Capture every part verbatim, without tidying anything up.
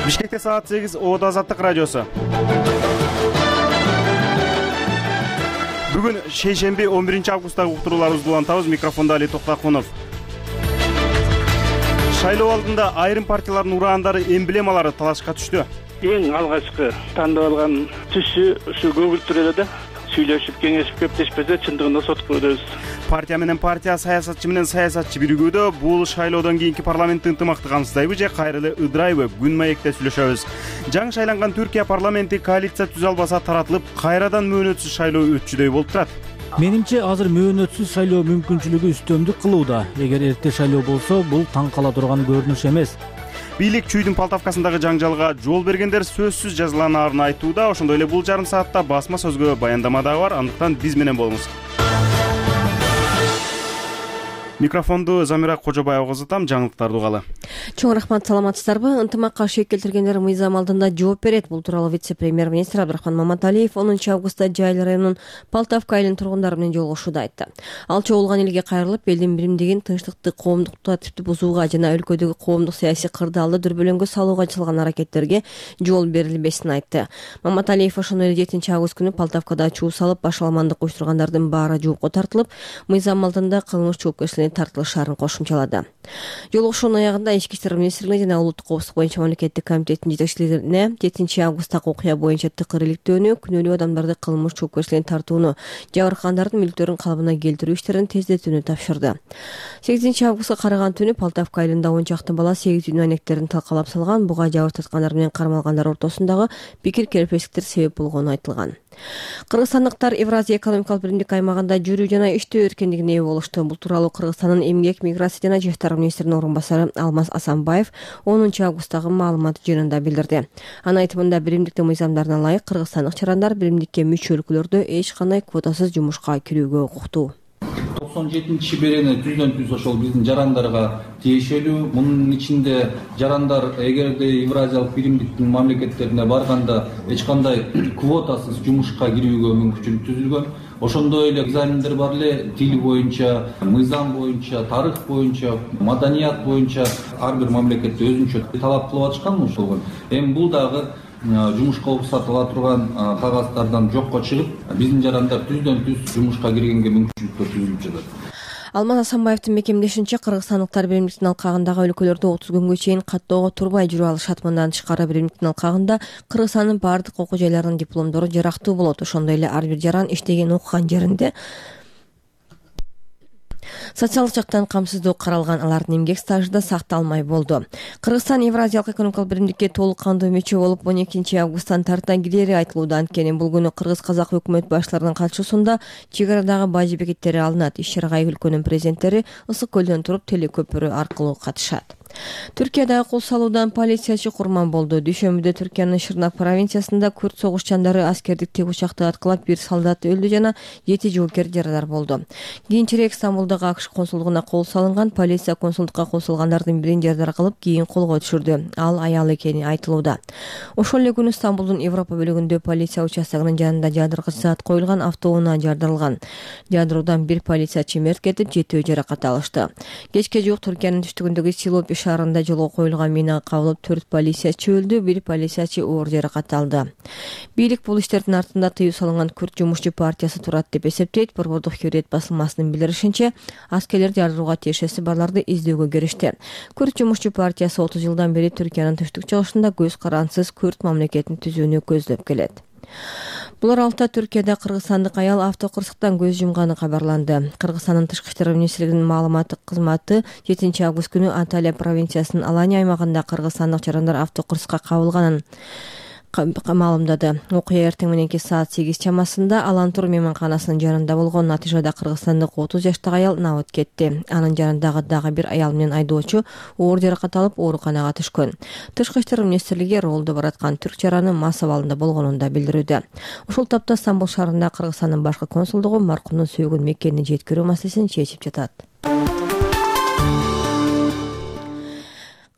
Бишкекте саат сегиз, Оодо Азаттык радиосу. Бүгүн шейшемби он биринчи августтагы уктурууларыбызды улантабыз. Микрофондо Али Токтакунов. Шайлоо алдында айрым партиялардын ураандары, эмблемалары талашка түштү. Эң алгачкы тандап алган түсү ушу көгүлтүр эле да. Сүйлөшүп, кеңешип кептешпесе, чындыгында сотко өтөбүз. Партия менен партия, саясатчы менен саясатчы биригүүдө бул шайлоодон кийинки парламенттин ынтымакты камсыздайбы же кайра эле ыдырайбы? Күн маекте сүйлөшөбүз. Жаңы шайланган Түркия парламенти коалиция түзө албаса таратылып, кайрадан мөөнөтсүз шайлоо өтчүдөй болуп турат. Менимче азыр мөөнөтсүз шайлоо мүмкүнчүлүгү үстөмдүк кылууда. Эгер эрте шайлоо болсо, бул таң кала турган көрүнүш эмес. Бийлик чүйдүн Полтавкасындагы жаңжалга жол бергендер сөзсүз жазаланаарын айтууда. Ошондой эле бул жарым саатта басма сөзгө баяндама дагы бар. Андыктан биз менен болуңуз. Микрофонду Замира Кожобаева узатам. Жаңылыктарды угалы. Чоң рахмат, саламатсыздарбы? Ынтымакка шек келтиргендер мыйзам алдында жооп берет. Бул тууралуу вице-премьер-министр Абдрахман Маматалиев онунчу августта Жайыл районунун Полтавка айылынын тургундары менен жолугушууда айтты. Ал чогулган элге кайрылып, элдин биримдигин, тынчтыкты, коомдук тартипти бузууга жана өлкөдөгү коомдук саясий кырдаалды дүрбөлөңгө салууга чалган аракеттерге жол берилбесин айтты. Маматалиев ошондой эле жетинчи август күнү Полтавкада чуу салып, башаламандык уюштургандардын баары жоопко тартылып, мыйзам алдында кылмыш жоопкерчилигине тартылышаарын кошумчалады. Жолугушуунун аягында Ички иштер министрлиги жана улуттук коопсуздук боюнча мамлекеттик комитеттин жетекчилигине жетинчи августтагы окуя боюнча тыкыр иликтөөнү, күнөөлүү адамдарды кылмыш жоопкерчилигине тартууну, жабыркагандардын мүлктөрүн калыбына келтирүү иштерин тездетүүнү тапшырды. сегизинчи августка караган түнү Полтавка айылында он чакты бала сегиз үй маектерин талкалап салган, буга жабыр тарткандар менен кармалгандар ортосундагы пикир келбештиктер себеп болгону айтылган. Кыргызстандыктар Евразия экономикалык биримдик аймагында жүрүү жана иштөө эркиндигине ээ болушту. Бул тууралуу Кыргызстандын эмгек, миграция жана жаштар министринин орун басары Алмаз Асанбаев онунчу августтагы маалымат жыйынында билдирди. Анын айтымында, биримдиктин мыйзамдарына ылайык кыргызстандык чарандар биримдикке мүчө өлкөлөрдө эч кандай квотасыз жумушка кирүүгө укуктуу. токсон жетинчи шиберени түздөн түз ошол биздин жарандарга тиешелүү. Мунун ичинде жарандар эгерде Евразиялык биримдиктин мамлекеттерине барганда эч кандай квотасыз жумушка кирүүгө мүмкүнчүлүк түзүлгөн. Ошондой эле экзамендер бар эле, тил боюнча, мыйзам боюнча, тарых боюнча, маданият боюнча ар бир мамлекетте өзүнчө талап кылып атышкан ошол. Эми бул дагы жумушка уруксат ала турган кагаздардан жокко чыгып, биздин жарандар түздөн түз жумушка киргенге мүмкүнчүлүктөр түзүлүп жатат. Алмаз Асанбаевдин мекемдешинче, кыргызстандыктар биримдиктин алкагындагы өлкөлөрдө отуз күнгө чейин каттоого турбай жүрө алышат. Мындан тышкары биримдиктин алкагында Кыргызстандын баардык окуу жайларынын дипломдору жарактуу болот. Ошондой эле ар бир жаран иштеген окуган жеринде социалдык жактан камсыздоо каралган, алардын эмгек стажы да сакталмай болду. Кыргызстан Евразиялык экономикалык биримдикке толук кандуу мүчө болуп он экинчи августтан тарта кирери айтылууда. Анткени бул күнү кыргыз-казак өкмөт баштарынын катышуусунда чек арадагы бажы бекеттери алынат. Иш чарага эки өлкөнүн президенттери Ысык көлдөн туруп телекөпүрө аркылуу катышат. Түркиядагы кол салуудан полициячы курман болду. Дүйшөмбүдө Түркиянын Шырнак провинциясында күрд согушчандары аскердик тегучакты аткылап, бир солдат өлдү жана жети жоокер жарадар болду. Кийинчерээк Стамбулдагы АКШ консулдугуна кол салынган. Полиция консулдукка кол салгандардын бирин жарадар кылып, кийин колго түшүрдү. Ал аял экени айтылууда. Ошол эле күнү Стамбулдун Европа бөлүгүндө полиция участогунун жанында жадыргыч зат коюлган автоунаа жардырылган. Жадыруудан бир полициячы мерт кетип, жетөө жаракат алышты. Кечке жуук Түркиянын түштүгүндөгү Силоп шаарында жолго коюлган минага кабылып, төрт полициячы өлдү, бир полициячы оор жаракат алды. Бийлик бул иштердин артында тыюу салынган Күрд жумушчу партиясы турат деп эсептейт. Борбордук Хурриет басылмасынын билдиришинче, аскерлер жардырууга тиешеси барларды издөөгө киришти. Күрд жумушчу партиясы отуз жылдан бери Түркиянын түштүк чыгышында көз карансыз Күрд мамлекетин түзүүнү көздөп келет. Бул аралыкта Түркияда кыргызстандык аял автокырсыктан көз жумганы кабарланды. Кыргызстандын тышкы иштер министрлигинин маалыматтык кызматы жетинчи август күнү Анталия провинциясынын Алания аймагында кыргызстандык жарандар автокырсыкка кабылганын маалымдады. Окуя эртең мененки саат сегиз чамасында Алантур мейманканасынын жанында болгон. Натыйжада кыргызстандык отуз жаштагы аял набыт кетти. Анын жанындагы дагы бир аял менен айдоочу оор жаракат алып ооруканага түшкөн. Тышкы иштер министрлиги ролдо бараткан түрк жараны мас абалында болгонун да билдирүүдө. Ушул тапта Стамбул шаарында Кыргызстандын башкы консулдугу маркумдун сөөгүн Меккени жеткирүү маселесин чечип жатат.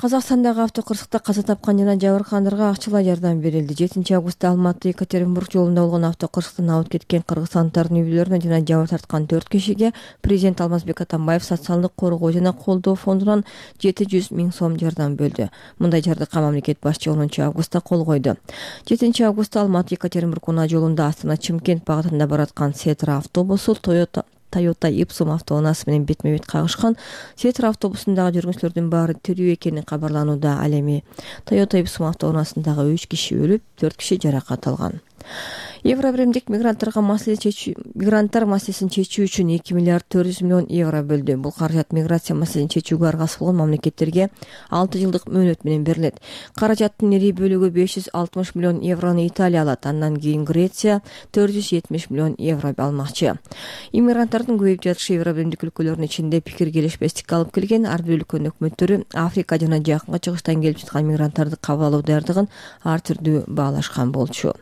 Казакстандагы автокырсыкта каза тапкан жана жабыркагандарга акчалай жардам берилди. жетинчи августта Алматы Екатеринбург жолунда болгон автокырсыктан ауып кеткен кыргызстандардын үй-бүлөлөрүнө жана жабыр тарткан төрт кишиге президент Алмазбек Атамбаев социалдык коргоо жана колдоо фондунан жети жүз миң сом жардам бөлдү. Мындай жардыкка мамлекет башчы онунчу августта кол койду. жетинчи августта Алматы Екатеринбург унаа жолунда Астана Чымкент багытында бараткан Сетра автобусу Toyota Toyota Ipsum автоунаасы менен бетме-бет кагышкан. Сетра автобусундагы жүргүнчүлөрдүн баары тирүү экени кабарланууда. Ал эми Toyota Ipsum автоунаасындагы үч киши өлүп, төрт киши жаракат алган. Евробиримдик мигранттарга маселе чечүү мигранттар маселесин чечүү үчүн эки миллиард төрт жүз миллион евро бөлдү. Бул каражат миграция маселесин чечүүгө аргасы болгон мамлекеттерге алты жылдык мөөнөт менен берилет. Каражаттын ири бөлүгү беш жүз алтымыш миллион еврону Италия алат, андан кийин Греция төрт жүз жетимиш миллион евро алмакчы. Иммигранттардын көбөйүп жатышы Евробиримдик өлкөлөрдүн ичинде пикир келишпестикке алып келген. Ар бир өлкөнүн өкмөттөрү Африка жана Жакынкы Чыгыштан келип жаткан мигранттарды кабыл алуу даярдыгын ар түрдүү баалашкан болчу.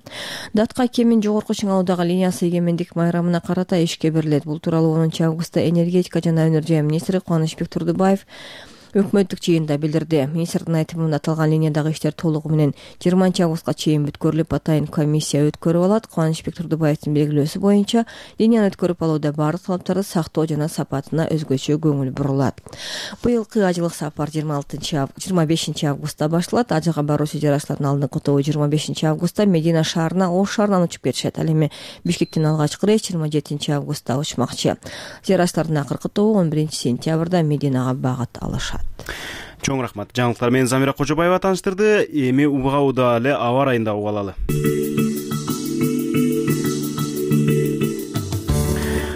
Датка кемин жогорку чыңалуудагы линиясы эгемендик майрамына карата ишке берилет. Бул тууралуу онунчу августта энергетика жана өнөр жай министри Кубанычбек Турдубаев өкмөттүк жыйында билдирди. Министрдин айтымында аталган линиядагы иштер толугу менен жыйырманчы августка чейин бүткөрүлүп, атайын комиссия өткөрүп алат. Кубанычбек Турдубаевдин белгилөөсү боюнча линияны өткөрүп алууда баардык талаптарды сактоо жана сапатына өзгөчө көңүл бурулат. Быйылкы ажылык сапар жыйырма бешинчи августта башталат. Ажыга баруу чыгарачылардын алдыңкы тобу жыйырма бешинчи августта Медина шаарына Ош шаарынан учуп кетишет. Ал эми Бишкектен алгачкы рейс жыйырма жетинчи августта учмакчы. Зыярачылардын акыркы тобу он биринчи сентябрда Мединага багыт алышат. Чоң рахмат. Жаңылыктар менен Замира Кожобаева тааныштырды. Эми убагууда эле аба райында угуп алалы.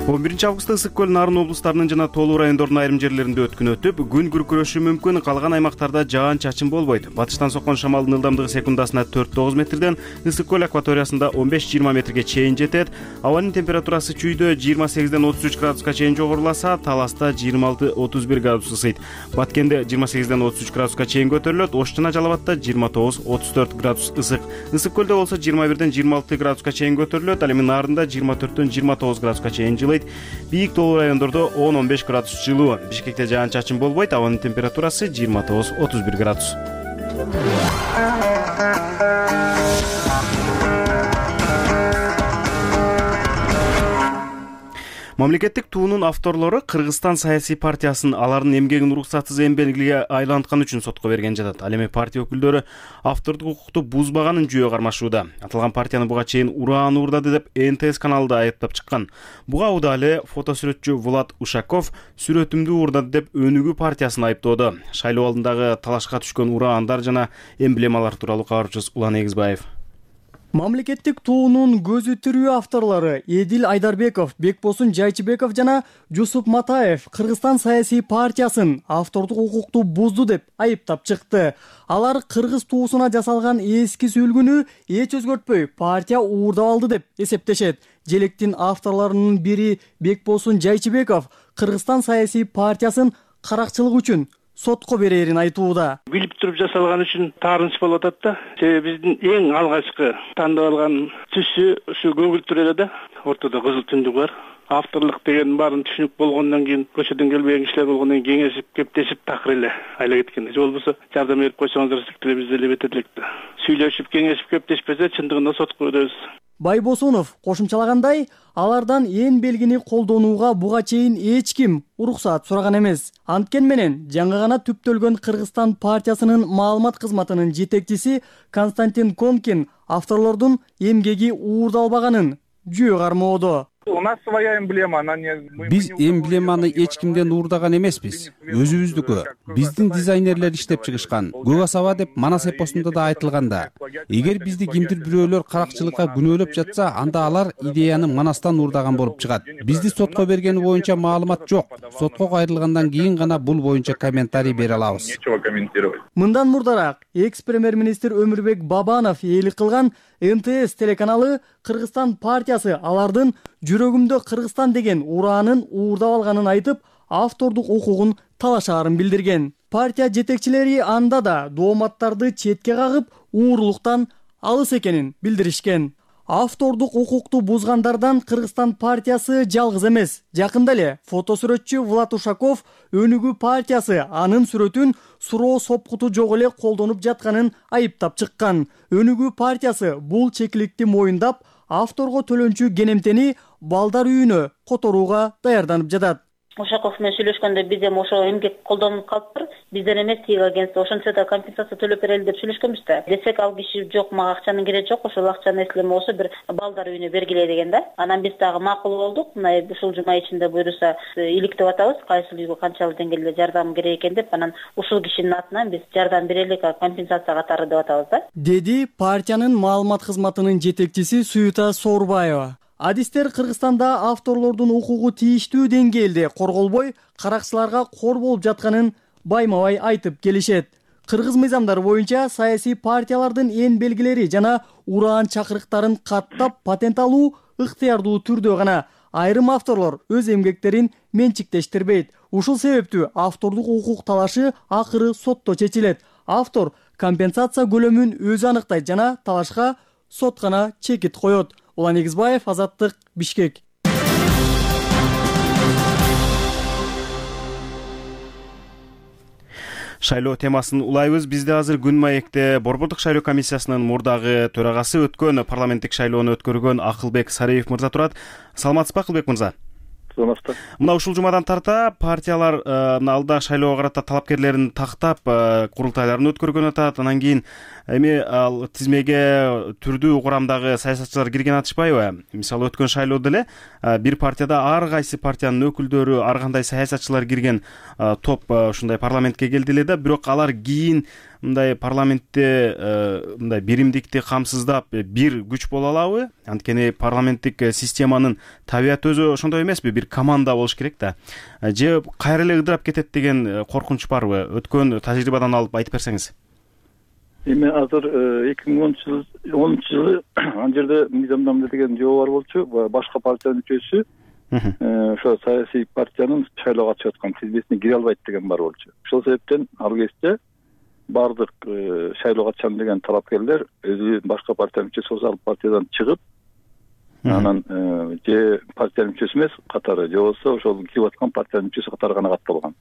он биринчи августта Ысык көл, Нарын облустарынын жана Тоолуу райондордун айрым жерлеринде өткүн өтүп, күн күркүрөшү мүмкүн. Калган аймактарда жаан-чачын болбойт. Батыштан соккон шамалдын ылдамдыгы секундасына төрт тогуз метрден Ысык көл акваториясында он беш жыйырма метрге чейин жетет. Абанын температурасы чүйдө жыйырма сегизден отуз үч градуска чейин жогоруласа, Таласта жыйырма алты отуз бир градус ысыйт. Баткенде жыйырма сегизден отуз үч градуска чейин көтөрүлөт. Ош жана Жалал Абадта жыйырма тогуз отуз төрт градус ысык. Ысык көлдө болсо жыйырма бирден жыйырма алты градуска чейин көтөрүлөт. Ал эми Нарында жыйырма төрттөн жыйырма тогуз градуска чейин жылыйт. Бийик Тоолуу райондордо он он беш градус жылуу. Бишкекте жаан-чачын болбойт. Абанын температурасы жыйырма тогуз отуз бир градус. Мамлекеттик туунун авторлору Кыргызстан саясий партиясын алардын эмгегин уруксатсыз эмгелге айланткан үчүн сотко берген жатат. Ал эми партия өкүлдөрү автордук укукту бузбаганын жүйө кармашууда. Аталган партияны буга чейин ураан уурдады деп эн тэ эс каналында айыптап чыккан. Буга убада эле фотосүрөтчү Влад Ушаков сүрөтүмдү уурдады деп өнүгүү партиясын айыптоодо. Шайлоо алдындагы талашка түшкөн ураандар жана эмблемалар тууралуу кабарчыбыз Улан Эгизбаев. Мамлекеттик туунун көзү тирүү авторлору Эдил Айдарбеков, Бекбосун Жайчыбеков жана Жусуп Матаев Кыргызстан саясий партиясын автордук укукту бузду деп айыптап чыкты. Алар кыргыз туусуна жасалган эски сүйлгүнү эч өзгөртпөй партия уурдап алды деп эсептешет. Желектин авторлорунун бири Бекбосун Жайчыбеков Кыргызстан саясий партиясын каракчылык үчүн сотко берерин айтууда. Билип туруп жасалган үчүн таарынч болуп атат да. Себеби биздин эң алгачкы тандап алган түсү ушу көгүлтүр эле да. Ортодо кызыл түндүк бар. Авторлук деген баарын түшүнүк болгондон кийин, көчөдөн келбеген кишилер болгондон кийин кеңешип, кептешип такыр эле айла кеткен. Же болбосо жардам берип койсоңуздар сиктеле биз деле бетет элек да. Сүйлөшүп, кеңешип, кептешпесе чындыгында сотко өтөбүз. Байбосунов кошумчалагандай, алардан эң белгини колдонууга буга чейин эч ким уруксаат сураган эмес. Анткени менен жаңы гана түптөлгөн Кыргызстан партиясынын маалымат кызматынын жетекчиси Константин Конкин авторлордун эмгеги уурдалбаганын жүйө кармоодо. У нас своя эмблема, она не... Биз эмблеманы эч кимден уурдаган эмеспиз. Өзүбүздүкү. Биздин дизайнерлер иштеп чыгышкан. Көк саба деп Манас эпосунда да айтылганда. Эгер бизди кимдир бирөөлөр каракчылыкка күнөөлөп жатса, анда алар идеяны Манастан уурдаган болуп чыгат. Бизди сотко бергени боюнча маалымат жок. Сотко кайрылгандан кийин гана бул боюнча комментарий бере алабыз. Нечего комментировать. Мындан мурдараак экс-премьер-министр Өмүрбек Бабанов ээлик кылган эн тэ эс телеканалы Кыргызстан партиясы алардын жүрөгүмдө Кыргызстан деген ураанын уурдап алганын айтып, автордук укугун талашаарын билдирген. Партия жетекчилери анда да дооматтарды четке кагып, уурулуктан алыс экенин билдиришкен. Автордук укукту бузгандардан Кыргызстан партиясы жалгыз эмес. Жакында эле фотосүрөтчү Влад Ушаков Өнүгүү партиясы анын сүрөтүн суроо сопкуту жок эле колдонуп жатканын айыптап чыккан. Өнүгүү партиясы бул чекиликти моюндап, авторго төлөнчү кенемтени балдар үйүнө которууга даярданып жатат. Ушаков менен сүйлөшкөндө биз эми ошо эмгек колдонуп калыптыр. Бизден эмес тиги агентство ошончо да компенсация төлөп берели деп сүйлөшкөнбүз да. Десек ал киши жок, мага акчанын кереги жок, ошол акчаны эслеме болсо бир балдар үйүнө бергиле деген да. Анан биз дагы макул болдук. Мына ушул жума ичинде буюрса иликтеп атабыз, кайсыл үйгө канчалык деңгээлде жардам керек экен деп, анан ушул кишинин атынан биз жардам берелик, компенсация катары деп атабыз да. Деди партиянын маалымат кызматынын жетекчиси Суюта Соорбаева. Адистер Кыргызстанда авторлордун укугу тийиштүү деңгээлде корголбой, каракчыларга кор болуп жатканын байма-бай айтып келишет. Кыргыз мыйзамдары боюнча саясий партиялардын эн белгилери жана ураан чакырыктарын каттап патент алуу ыктыярдуу түрдө гана. Айрым авторлор өз эмгектерин менчиктештирбейт. Ушул себептүү автордук укук талашы акыры сотто чечилет. Автор компенсация көлөмүн өзү аныктайт жана талашка сот гана чекит коет. Улан Эгизбаев, Азаттык, Бишкек. Шайлоо темасын улайбыз. Бизде азыр Күн маекте Борбордук шайлоо комиссиясынын мурдагы төрагасы, өткөн парламенттик шайлоону өткөргөн Акылбек Сариев мырза турат. Саламатсызбы, Акылбек мырза? Мына ушул жумадан тарта партиялар алда шайлоого карата талапкерлерин тактап курултайларын өткөргөн атат. Анан кийин эми ал тизмеге түрдүү курамдагы саясатчылар кирген атышпайбы? Мисалы өткөн шайлоодо эле бир партияда ар кайсы партиянын өкүлдөрү, ар кандай саясатчылар кирген топ ушундай парламентке келди эле да, бирок алар кийин мындай парламентте мындай биримдикти камсыздап бир күч боло алабы? Анткени парламенттик системанын табияты өзү ошондой эмеспи? Бир команда болуш керек да. Же кайра эле ыдырап кетет деген коркунуч барбы? Өткөн тажрыйбадан алып айтып берсеңиз. Эми азыр эки миң онунчу жылы ан жерде мыйзамдамада деген жобо бар болчу. Башка партиянын мүчөсү ошо саясий партиянын шайлоого катышып аткан тизмесине кире албайт деген бар болчу. Ошол себептен ал кезде бардык шайлоого катышам деген талапкерлер өзү башка партиянын мүчөсү болсо ал партиядан чыгып, анан же партиянын мүчөсү эмес катары, же болбосо ошол кирип аткан партиянын мүчөсү катары гана катталган.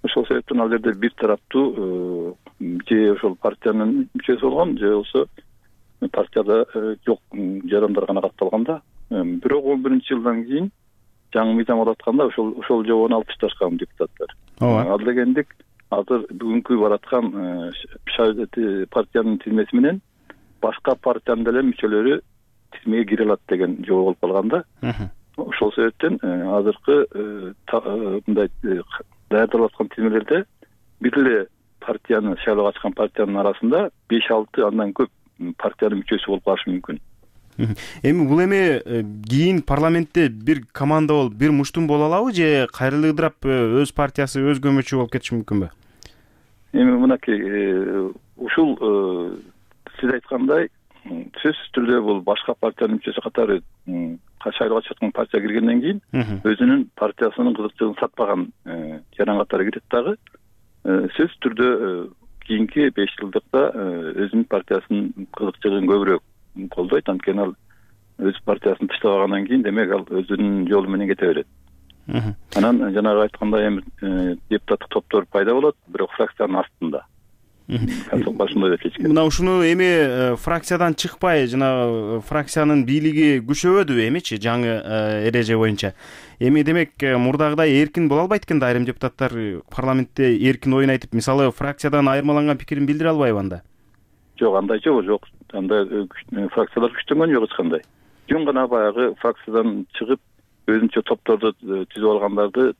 Ошол себептен ал жерде бир тараптуу же ошол партиянын мүчөсү болгон, же болбосо партияда жок жарандар гана катталган да. Бирок он биринчи жылдан кийин жаңы мыйзам болуп атканда ошол ошол жобону алып ташташкан депутаттар. Ал дегендик азыр бүгүнкү бараткан партиянын тизмеси менен башка партиянын деле мүчөлөрү тизмеге кире алат деген жобо болуп калган да. Ошол себептен азыркы мындай даярдалып аткан тизмелерде бир эле партияны, шайлоого катышкан партиянын арасында беш алты андан көп партиянын мүчөсү болуп калышы мүмкүн. Эми бул эми кийин парламентте бир команда болуп, бир муштум боло алабы, же кайра эле ыдырап өз партиясы, өз көмөчү болуп кетиши мүмкүнбү? Эми мынакей ушул сиз айткандай сөзсүз түрдө бул башка партиянын мүчөсү катары шайлоого катышып аткан партия киргенден кийин өзүнүн партиясынын кызыкчылыгын сатпаган жаран катары кирет дагы. Сөзсүз түрдө кийинки беш жылдыкта өзүнүн партиясынын кызыкчылыгын көбүрөөк колдойт, анткени ал өз партиясын таштабагандан кийин демек ал өзүнүн жолу менен кете берет. Анан жанагы айткандай эми депутаттык топтор пайда болот, бирок фракциянын астында. Мына ушуну эми фракциядан чыкпай, жана фракциянын бийлиги күчөбөдүбү эмичи жаңы эреже боюнча? Эми демек мурдагыдай эркин боло албайт экен да, айрым депутаттар парламентте эркин оюн айтып, мисалы фракциядан айырмаланган пикирин билдире албайбы анда? Жок, андай жок, жок. Андай фракциялар күчтөнгөн жок эч кандай. Жөн гана баягы фракциядан чыгып өзүнчө топторду түзүп алгандарды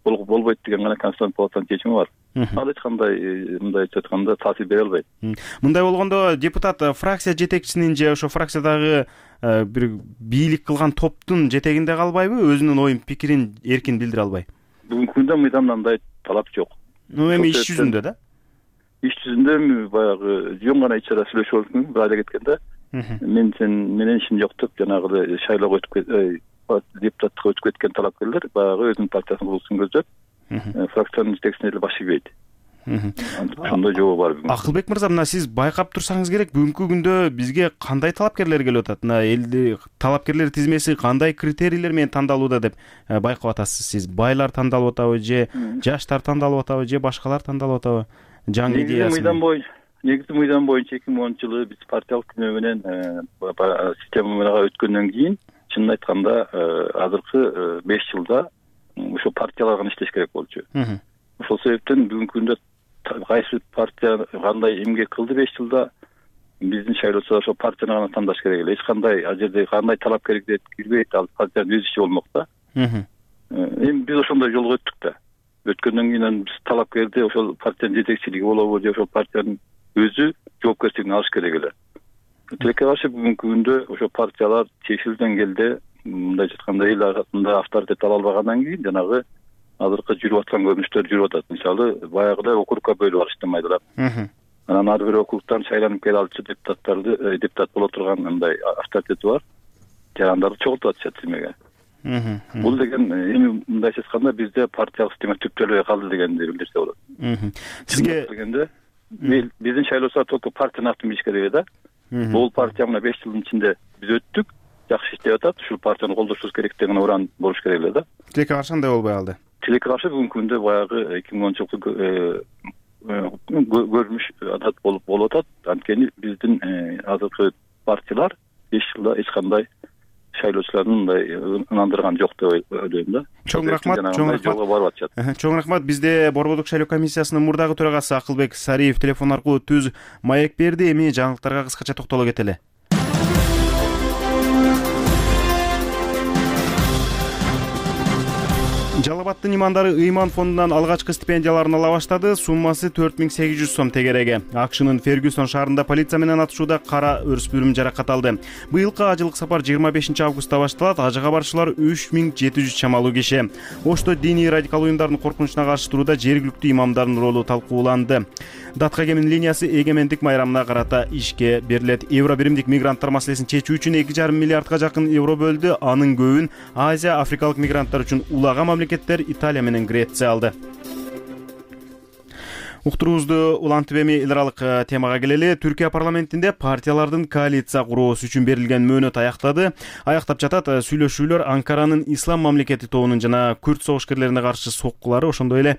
болбойт деген гана Конституциялык палатанын чечими бар. Ал эч кандай мындайча айтканда таасир бере албайт. Мындай болгондо депутат фракция жетекчисинин же ошо фракциядагы бир бийлик кылган топтун жетегинде калбайбы, өзүнүн оюн пикирин эркин билдире албай? Бүгүнкү күндө мыйзамда андай талап жок. Ну эми иш жүзүндө да? Иш жүзүндө баягы жөн гана ич чара сүйлөшүп алып мүмкүн, айда кеткенде мен сен менен ишим жок деп жанагы шайлоого өтүп депутаттыкка өтүп кеткен талапкерлер баягы өзүнүн партиясынын курулушун көздөп фракциянын жетекчисине эле баш ийбейт. ошондой жобо бар. Акылбек мырза, мына сиз байкап турсаңыз керек, бүгүнкү күндө бизге кандай талапкерлер келип атат? Мына элди талапкерлер тизмеси кандай критерийлер менен тандалууда деп байкап атасыз сиз? Байлар тандалып атабы же жаштар тандалып атабы же башкалар тандалып атабы? Жаңы идеясы негизи мыйзам боюнча эки миң онунчу жылы биз партиялык күнөө менен системага өткөндөн кийин чынын айтканда азыркы беш жылда ошо партиялар гана иштеш керек болчу. Ошол себептен бүгүнкү күндө кайсы партия кандай эмгек кылды беш жылда биздин шайлоочулар ошо партияны гана тандаш керек эле. Эч кандай ал жерде кандай талапкер кирбейт, ал партиянын өз иши болмок да. Эми биз ошондой жолго өттүк да. Өткөндөн кийин биз талапкерди ошол партиянын жетекчилиги болобу же ошол партиянын өзү жоопкерчилигин алыш керек эле. Тилекке каршы бүгүнкү күндө ошо партиялар чечил деңгээлде мындай айтканда эл арасында авторитет ала албагандан кийин жанагы азыркы жүрүп аткан көрүнүштөр жүрүп атат. Мисалы, баягыдай округка бөлүп алышты майдалап. Анан ар бир округтан шайланып келе алчу депутаттарды, депутат боло турган мындай авторитети бар жарандарды чогултуп атышат тизмеге. Бул деген эми мындайча айтканда бизде партиялык система түптөлбөй калды дегенди билдирсе болот. Сизге дегенде биздин шайлоочулар только партияны атын билиш керек да. Бул партия мына беш жылдын ичинде биз өттүк, жакшы иштеп атат, ушул партияны колдошубуз керек деген уран болуш керек эле да. Тилекке каршы андай болбой калды. Тилекке каршы бүгүнкү күндө баягы эки миң онунчу жылкы көрүнүш адат болуп болуп атат. Анткени биздин азыркы партиялар беш жылда эч кандай шайлоочулардын мындай ынандырган жок деп ойлойм да. Чоң рахмат, чоң рахмат. Чоң рахмат. Бизде Борбордук шайлоо комиссиясынын мурдагы төрагасы Акылбек Сариев телефон аркылуу түз маек берди. Эми жаңылыктарга кыскача токтоло кетели. Жалал Абадтын имандары ыйман фондунан алгачкы стипендияларын ала баштады. Суммасы төрт миң сегиз жүз сом тегереги. Акшнын Фергюсон шаарында полиция менен атышууда кара өрүспүрүм жаракат алды. Быйылкы ажылык сапар жыйырма бешинчи августта башталат. Ажыга барышчылар үч миң жети жүз чамалуу киши. Ошто диний радикал уюмдардын коркунучуна каршы турууда жергиликтүү имамдардын ролу талкууланды. Датка кемин линиясы эгемендик майрамына карата ишке берилет. Евро биримдик мигранттар маселесин чечүү үчүн эки жарым миллиардга жакын евро бөлдү. Анын көбүн Азия, Африкалык мигранттар үчүн улаган мамлекеттер Италия менен Греция алды. Уктуруубузду улантып эми эл аралык темага келели. Түркия парламентинде партиялардын коалиция куруусу үчүн берилген мөөнөт аяктады. Аяктап жатат. Сүйлөшүүлөр Анкаранын ислам мамлекети тобунун жана күрд согушкерлерине каршы соккулары, ошондой эле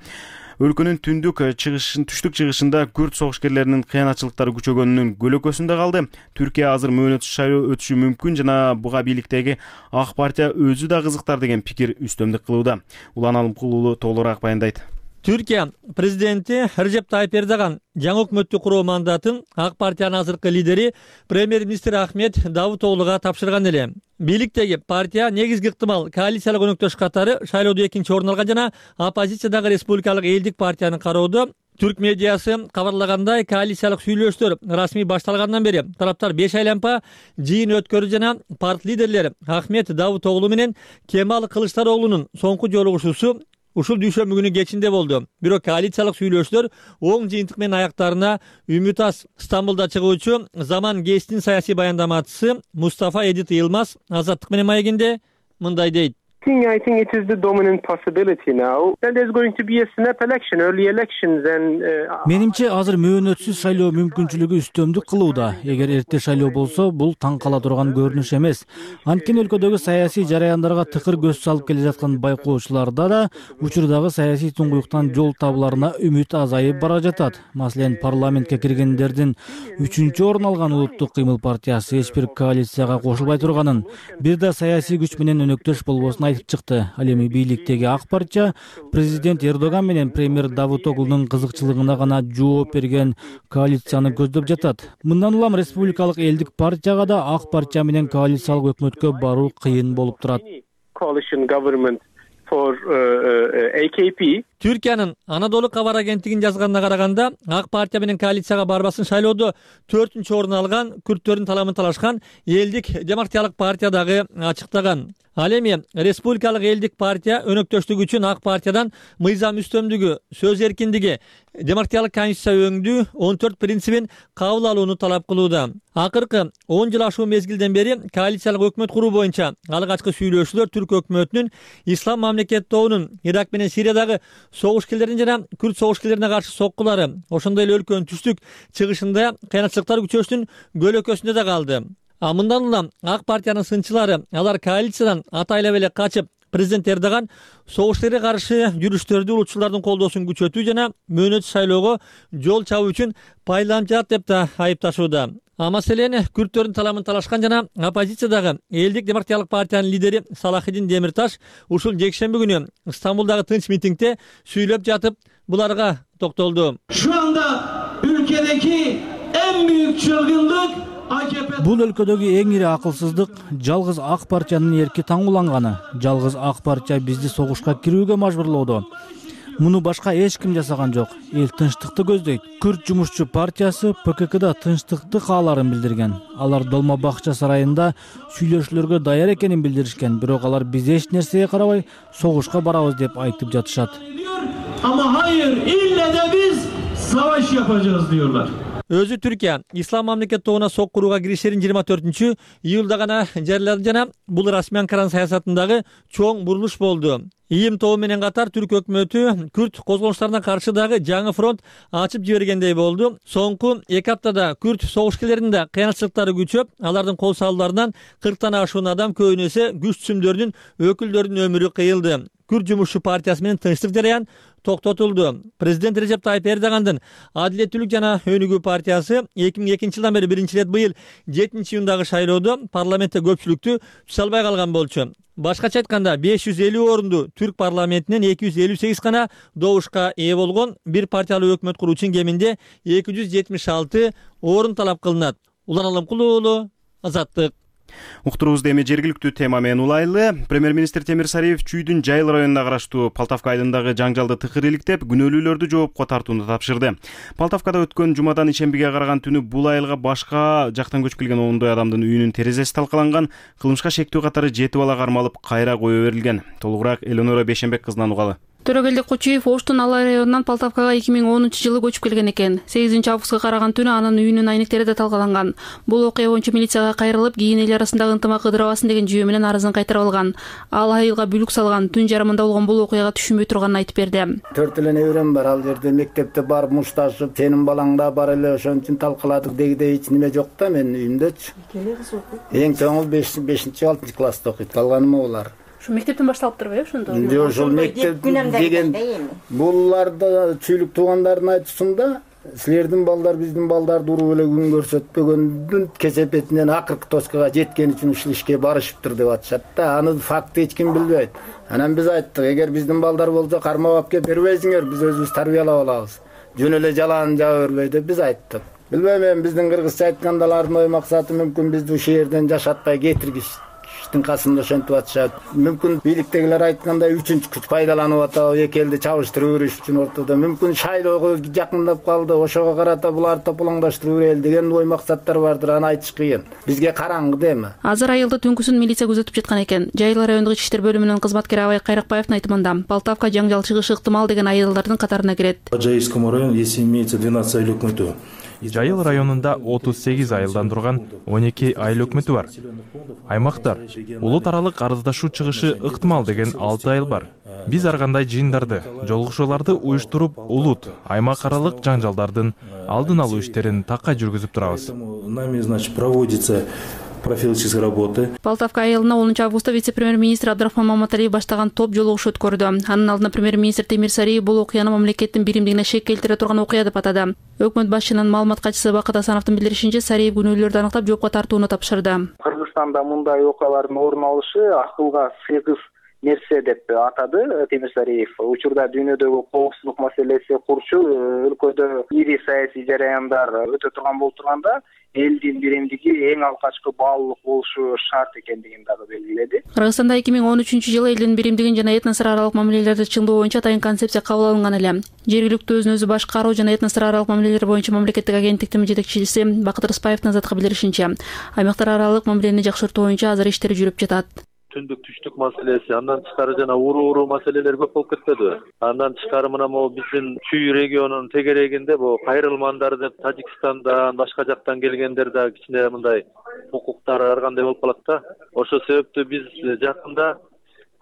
өлкөнүн түндүк чыгышын түштүк чыгышында күрд согушкерлеринин кыянатчылыктары күчөгөнүнүн көлөкөсүндө калды. Түркия азыр мөөнөтсүз шайлоо өтүшү мүмкүн жана буга бийликтеги ак партия өзү да кызыктар деген пикир үстөмдүк кылууда. Улан Алымкулуу толугураак баяндайт. Түркия президенти Режеп Тайып Эрдоган жаңы өкмөттү куруу мандатын ак партиянын азыркы лидери премьер-министр Ахмет Давутоглуга тапшырган эле. Бийликтеги партия негизги ыктымал коалициялык өнөктөш катары шайлоодо экинчи орун алган жана оппозициядагы Республикалык элдик партияны кароодо. Түрк медиасы кабарлагандай, коалициялык сүйлөшүүлөр расмий башталгандан бери тараптар беш айланпа жыйын өткөрдү жана парт лидерлери Ахмет Давутоглу менен Кемал Кылычдароглунун соңку жолугушуусу ушул дүйшөмбү күнү кечинде болду. Бирок коалициялык сүйлөшүүлөр оң жыйынтык менен аяктарына үмүт аз. Стамбулда чыгуучу Заман гезитинин саясий баяндамачысы Мустафа Эдит Йылмаз Азаттык менен маегинде мындай дейт. I think it is the dominant possibility now. Then there's going to be a snap election, early elections and Менимче азыр мөөнөтсүз шайлоо мүмкүнчүлүгү үстөмдүк кылууда. Эгер эрте шайлоо болсо, бул таң кала турган көрүнүш эмес. Анткени өлкөдөгү саясий жараяндарга тыкыр көз салып келе жаткан байкоочуларда да учурдагы саясий туңгуюктан жол табыларына үмүт азайып бара жатат. Маселен, парламентке киргендердин үчүнчү орун алган Улуттук кыймыл партиясы эч бир коалицияга кошулбай турганын, бир да саясий күч менен өнөктөш болбосун айтып чыкты. Ал эми бийликтеги ак партия президент Эрдоган менен премьер Давутоглунун кызыкчылыгына гана жооп берген коалицияны көздөп жатат. Мындан улам Республикалык элдик партияга да ак партия менен коалициялык өкмөткө баруу кыйын болуп турат. For uh, uh, A K P. Түркиянын Анадолу кабар агенттигинин жазганына караганда, ак партия менен коалицияга барбасын шайлоодо төртүнчү орун алган күрттөрдүн таламын талашкан элдик демократиялык партия дагы ачыктаган. Ал эми Республикалык элдик партия өнөктөштүгү үчүн ак партиядан мыйзам үстөмдүгү, сөз эркиндиги, демократиялык конституция өңдүү он төрт принцибин кабыл алууну талап кылууда. Акыркы он жыл ашуу мезгилден бери коалициялык өкмөт куруу боюнча алгачкы сүйлөшүүлөр түрк өкмөтүнүн ислам мамлекет тобунун Ирак менен Сириядагы согушкерлерин жана күрд согушкерлерине каршы соккулары, ошондой эле өлкөнүн түштүк чыгышында кыйынчылыктар күчөөсүнүн көлөкөсүндө да калды. А мындан улам ак партиянын сынчылары алар коалициядан атайлап эле качып, президент Эрдоган согушкерге каршы жүрүштөрдү улутчулардын колдоосун күчөтүү жана мөөнөтсүз шайлоого жол чабуу үчүн пайдаланып жатат деп да айыпташууда. А маселен күрдтөрдүн таламын талашкан жана оппозициядагы Элдик демократиялык партиянын лидери Салахиддин Демирташ ушул жекшемби күнү Стамбулдагы тынч митингде сүйлөп жатып буларга токтолду. Şu anda ülkedeki en büyük çılgınlık Бул өлкөдөгү эң ири акылсыздык жалгыз ак партиянын эрки таңууланганы. Жалгыз ак партия бизди согушка кирүүгө мажбурлоодо. Муну башка эч ким жасаган жок. Эл тынчтыкты көздөйт. Күрд жумушчу партиясы П К Кда тынчтыкты кааларын билдирген. Алар Долма бакча сарайында сүйлөшүүлөргө даяр экенин билдиришкен. Бирок алар биз эч нерсеге карабай согушка барабыз деп айтып жатышат. Ama hayır, ille de biz savaş yapacağız diyorlar. Өзү Түркия ислам мамлекет тобуна соккурууга киришерин жыйырма төртүнчү июлда гана жарыялады жана бул расмий Анкаранын саясатындагы чоң бурулуш болду. ИИМ тобу менен катар түрк өкмөтү күрд козголуштарына каршы дагы жаңы фронт ачып жибергендей болду. Соңку эки аптада күрд согушкерлеринин да кыянчылыктары күчөп, алардын кол салууларынан кырктан ашуун адам көбүнесе күч түзүмдөрдүн өкүлдөрүнүн өмүрү кыйылды. Күрд жумушчу партиясы менен тынчтык жараян токтотулду. Президент Режеп Тайып Эрдогандын Адилеттүүлүк жана Өнүгүү партиясы эки миң экинчи жылдан бери биринчи ирет быйыл жетинчи июндагы шайлоодо парламентте көпчүлүктү түзө албай калган болчу. Башкача айтканда беш жүз элүү орунду түрк парламентинен эки жүз элүү сегиз гана добушка ээ болгон. Бир партиялуу өкмөт куруу үчүн кеминде эки жүз жетимиш алты орун талап кылынат. Улан Аламкулуу уулу, Азаттык. Уктуруубузду эми жергиликтүү тема менен улайлы. Премьер-министр Темир Сариев Чүйдүн Жайыл районуна караштуу Палтавка айылындагы жаңжалды тыкыр иликтеп, күнөөлүүлөрдү жоопко тартууну тапшырды. Палтавкада өткөн жумадан ишембиге караган түнү бул айылга башка жактан көчүп келген ондой адамдын үйүнүн терезеси талкаланган, кылмышка шектүү катары жети бала кармалып, кайра кое берилген. Толугураак Элонора Бешенбек кызынан угалы. Төрөгелди Кочуев Оштун Алай районунан Палтавкага эки миң онунчу жылы көчүп келген экен. сегизинчи августка караган түнү анын үйүнүн айнектери да талкаланган. Бул окуя боюнча милицияга кайрылып, кийин эл арасындагы ынтымак ыдырабасын деген жүйө менен арызын кайтарып алган. Ал айылга бүлүк салган, түн жарымында болгон бул окуяга түшүнбөй турганын айтып берди. Төрт эле неберем бар, ал жерде мектепте барып мушташып, сенин балаң да бар эле, ошон үчүн талкаладык дегидей эч неме жок да менин үйүмдөчү. Эң чоңу бешинчи алтынчы класста окуйт, калганы могулар. Мектептен башталып турбайбы ошондо? Жок, ошол мектеп деген буларда чүйлүк туугандардын айтуусунда силердин балдар биздин балдарды уруп эле күн көрсөтпөгөндүн кесепетинен акыркы точкага жеткен үчүн ушул ишке барышыптыр деп атышат да. Аны факты эч ким билбейт. Анан биз айттык, эгер биздин балдар болсо кармап алып келип бербейсиңер, биз өзүбүз тарбиялап алабыз. Жөн эле жалаан жаба бербей деп биз айттык. Билбейм, эми биздин кыргызча айтканда алардын ой максаты мүмкүн бизди ушул жерден жашатпай кетиргиш. Касында ошентип атышат. Мүмкүн бийликтегилер айткандай үчүнчү күч пайдаланып атабы, эки элди чабыштырып бериш үчүн ортодо. Мүмкүн шайлоого жакындап калды, ошого карата буларды тополоңдаштырып берели деген ой максаттар бардыр, аны айтыш кыйын. Бизге караңгы деми. Азыр айылды түнкүсүн милиция күзөтүп жаткан экен. Жайыл райондук ички иштер бөлүмүнүн кызматкери Абай Кайракбаевдин айтымында, Палтавка жаңжал чыгышы ыктымал деген айылдардын катарына кирет. Жайылскому району если имеется двенадцать айыл өкмөтү. Жайыл районунда отуз сегиз айылдан турган он эки айыл өкмөтү бар. Аймактар улут аралык арыздашуу чыгышы ыктымал деген алты айыл бар. Биз ар кандай жыйындарды, жолугушууларды уюштуруп, улут, аймак аралык жаңжалдардын алдын алуу иштерин такай жүргүзүп турабыз. Нами, значит, проводится профилактические работы. Палтавка айылына онунчу августта вице-премьер-министр Абдрахман Маматалиев баштаган топ жолугуш өткөрдү. Анын алдында премьер-министр Темир Сариев бул окуяны мамлекеттин биримдигине шек келтире турган окуя деп атады. Өкмөт башчынын маалымат катчысы Бакыт Асановдун билдиришинче, Сариев күнөөлөрдү аныктап жоопко тартууну тапшырды. Кыргызстанда мындай окуялардын орун алышы акылга сыйгыз нерсе деп атады Темир Сариев. Учурда дүйнөдөгү коопсуздук маселеси курчу, өлкөдө ири саясий жараяндар өтө турган болуп турганда, элдин биримдиги эң алгачкы баалуулук болушу шарт экендигин дагы белгиледи. Кыргызстанда эки миң он үчүнчү жылы элдин биримдигин жана этносар аралык мамилелерди чыңдоо боюнча атайын концепция кабыл алынган эле. Жергиликтүү өзүн өзү башкаруу жана этносар аралык мамилелер боюнча мамлекеттик агенттиктин жетекчиси Бакыт Рыспаевдин азатка билдиришинче, аймактар аралык мамилени жакшыртуу боюнча азыр иштер жүрүп жатат. Түндүк түштүк маселеси, андан тышкары жана уруу-уруу маселелер көп болуп кетпедиби? Андан тышкары мына могу биздин Чүй регионунун тегерегинде бул кайрылмандар деп Тажикстандан, башка жактан келгендер да кичине мындай укуктары ар кандай болуп калат да. Ошол себептүү биз жакында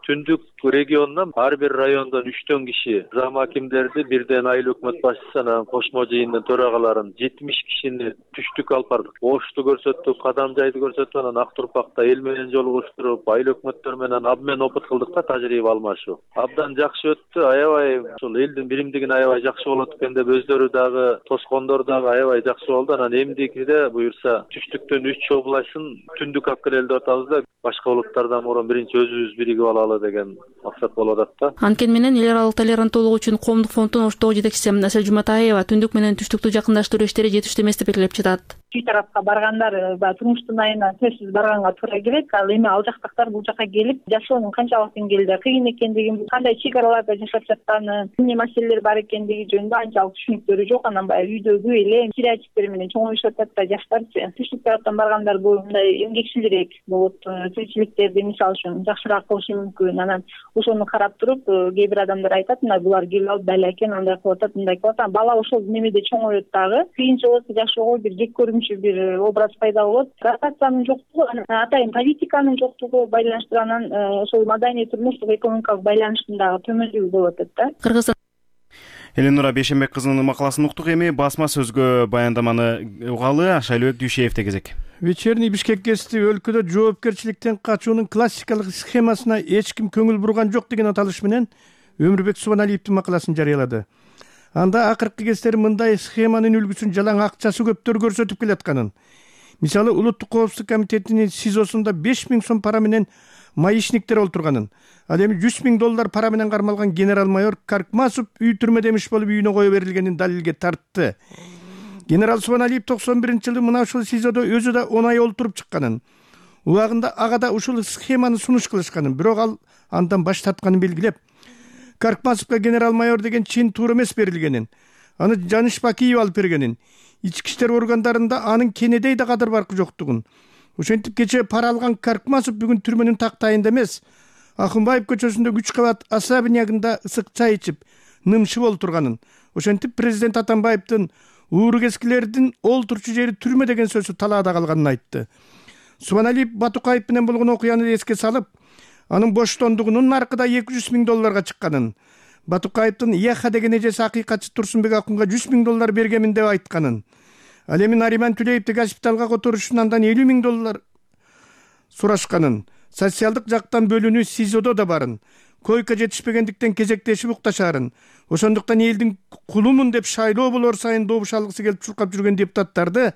түндүк регионунан ар бир райондон үчтөн киши зам акимдерди, бирден айыл өкмөт башчысы, анан кошмо жыйындын төрагаларын жетимиш кишини түштүк алып бардык. Ошту көрсөттүк, Кадам жайды көрсөттүк, анан Ак Турпакта эл менен жолугуштуруп, айыл өкмөттөр менен обмен опыт кылдык да, тажрыйба алмашуу. Абдан жакшы өттү. Аябай ушул элдин биримдигин аябай жакшы болот экен деп өздөрү дагы, тоскондор дагы аябай жакшы болду. Анан эмдикиде буюрса түштүктөн үч областын түндүк алып келели деп атабыз да, башка улуттардан мурун биринчи өзүбүз биригип алалы деген максат болуп атат да. Анткени менен эл аралык толеранттуулук үчүн коомдук фонддун Оштогу жетекчиси Асель Жуматаева түндүк менен түштүктү жакындаштыруу иштери жетиштүү эмес деп белгилеп жатат. Чүй тарапка баргандар баягы турмуштун айына сөзсүз барганга туура келет. Ал эми ал жактактар бул жака келип жашоонун канчалык деңгээлде кыйын экендигин, кандай чек араларда жашап жатканы, эмне маселелер бар экендиги жөнүндө анчалык түшүнүктөрү жок. Анан баягы үйдөгү эле стереотиптер менен чоңоюшуп атат да жаштарчы. Түштүк тараптан баргандар бул мындай эмгекчилирээк болот. Тиричиликтерди мисалы үчүн жакшыраак кылышы мүмкүн. Анан ошону карап туруп кээ бир адамдар айтат, мына булар келип алып бала экен, андай кылып атат, мындай кылып атат. Бала ошол немеде чоңоет дагы. Кыйынчылык жашоого бир жек көрүнүчү бир образ пайда болот. Ротациянын жоктугу, атайын политиканын жоктугу байланыштуу, анан ошол маданий турмуштук экономикалык байланыштын дагы төмөндүгү болуп атат да. Кыргызстан Эленура Бейшенбек кызынын макаласын уктук. Эми басма сөзгө баяндаманы угалы Шайлообек Дүйшеевде кезек. Вечерний Бишкек гезити өлкөдө жоопкерчиликтен качуунун классикалык схемасына эч ким көңүл бурган жок деген аталыш менен Өмүрбек Субаналиевдин макаласын жарыялады. Анда акыркы кездери мындай схеманын үлгүсүн жалаң акчасы көптөр көрсөтүп келатканын, мисалы Улуттук коопсуздук комитетинин СИЗОсунда беш миң сом пара менен маишниктер олтурганын, ал эми жүз миң доллар пара менен кармалган генерал-майор Каркмасов үй түрмөдө эмиш болуп үйүнө кое берилгенин далилге тартты. Генерал Субаналиев токсон биринчи жылы мына ушул СИЗОдо өзү да он ай олтуруп чыкканын, убагында ага да ушул схеманы сунуш кылышканын, бирок ал андан баш тартканын белгилеп, Каркмасовго генерал-майор деген чин туура эмес берилгенин, аны Жаныш Бакиев алып бергенин, ички иштер органдарында анын кенедей да кадыр баркы жоктугун. Ошентип кечээ пара алган Каркмасов бүгүн түрмөнүн тактайында эмес, Акынбаев көчөсүндө үч кабат особнягында ысык чай ичип, нымшып олтурганын. Ошентип президент Атамбаевдин ууругескилердин олтурчу жери түрмө деген сөзү талаада калганын айтты. Субаналиев Батукаев менен болгон окуяны эске салып, анын боштондугунун наркыда эки жүз миң долларга чыкканын, Батукаевдин Яха деген эжеси акыйкатчы Турсунбек Акунга жүз миң доллар бергемин деп айтканын, ал эми Нариман Түлеевди госпиталга которуш үчүн андан элүү миң доллар сурашканын, социалдык жактан бөлүнүү СИЗОдо да барын, койка жетишпегендиктен кезектешип укташаарын, ошондуктан элдин кулумун деп шайлоо болор сайын добуш алгысы келип чуркап жүргөн депутаттарды,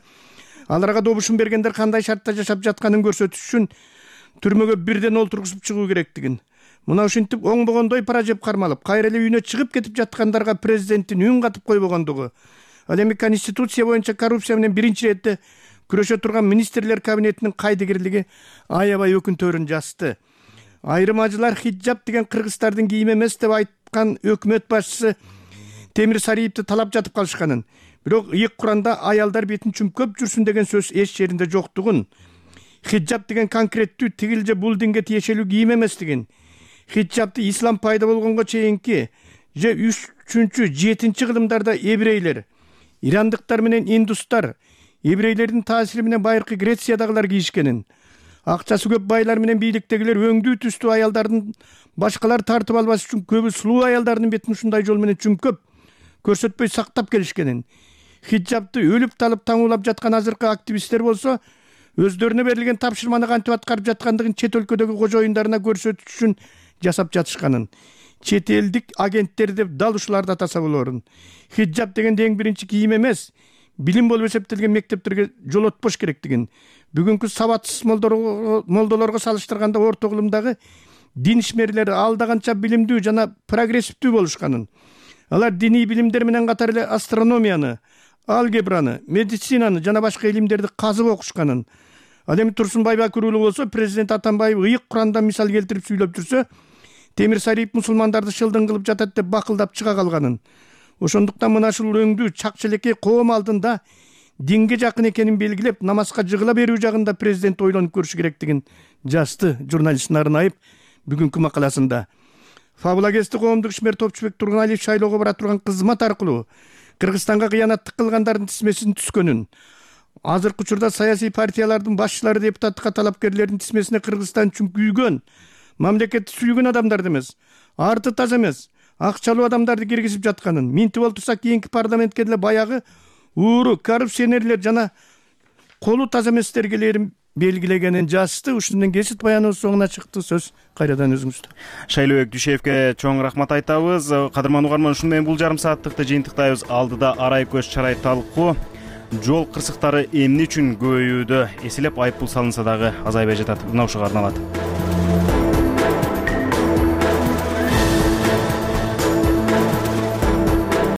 аларга добушун бергендер кандай шартта жашап жатканын көрсөтүш үчүн түрмөгө бирден олтургузуп чыгуу керектигин. Мына ушинтип оңбогондой пара жеп кармалып, кайра эле үйүнө чыгып кетип жаткандарга президенттин үн катып койбогондугу, ал эми Конституция боюнча коррупция менен биринчи четте күрөшө турган министрлер кабинетинин кайдыгерлиги аябай өкүнтөөрүн жазды. Айрым ажылар хиджаб деген кыргыздардын кийими эмес деп айткан өкмөт башчысы Темир Сариевди талап жатып калышканын, бирок ыйык Куранда аялдар бетин чүмкөп жүрсүн деген сөз эч жеринде жоктугун, хиджаб деген конкреттүү тигил же бул динге тиешелүү кийим эместигин, хиджабты ислам пайда болгонго чейинки же үчүнчү, жетинчи кылымдарда еврейлер, ирандыктар менен индустар, еврейлердин таасири менен байыркы Грециядагылар кийишкенин, акчасы көп байлар менен бийликтегилер өңдүү түстүү аялдардын башкалар тартып албаш үчүн көбү сулуу аялдардын бетин ушундай жол менен чүмкөп көрсөтпөй сактап келишкенин, хиджабты өлүп талып таңуулап жаткан азыркы активисттер болсо өздөрүнө берилген тапшырманы кантип аткарып жаткандыгын чет өлкөдөгү кожоюндарына көрсөтүш үчүн жасап жатышканын, чет элдик агенттер деп дал ушуларды атаса болорун. Хиджаб дегенде эң биринчи кийим эмес, билим болуп эсептелген мектептерге жолотпош керектигин, бүгүнкү сабатсыз молдолорго салыштырганда орто кылымдагы дин ишмерлери алда канча билимдүү жана прогрессивдүү болушканын, алар диний билимдер менен катар эле астрономияны, алгебраны, медицинаны жана башка илимдерди казып окушканын, ал эми Турсунбай Бакыруулу болсо президент Атамбаев ыйык Курандан мисал келтирип сүйлөп жүрсө, Темир Сариев мусулмандарды шылдың кылып жатат деп бакылдап чыга калганын. Ошондуктан мына ушул өңдүү чакчелекей коом алдында динге жакын экенин белгилеп, намазга жыгыла берүү жагында президент ойлонуп көрүшү керектигин жазды журналист Нарынаев бүгүнкү макаласында. Фабула гезити коомдук ишмер Топчубек Тургуналиев шайлоого бара турган кызмат аркылуу Кыргызстанга кыянаттык кылгандардын тизмесин түзгөнүн, азыркы учурда саясий партиялардын башчылары депутаттыкка талапкерлердин тизмесине Кыргызстан үчүн күйгөн мамлекетти сүйгөн адамдарды эмес, арты таза эмес, акчалуу адамдарды киргизип жатканын, минтип ол турса кийинки парламентке деле баягы ууру коррупционерлер жана колу таза эместерге белгилегенин жазды. Ушундан кесип баяныбыз соңуна чыкты. Сөз кайрадан өзүңүздө. Шайлообек Дүйшеевке чоң рахмат айтабыз. Кадырман угарман, ушуну менен бул жарым сааттыкты жыйынтыктайбыз. Алдыда арай көз чарай талкуу. Жол кырсыктары эмне үчүн көбөйүүдө? Эселеп айыппул салынса дагы азайбай жатат. Мына ушуга арналат.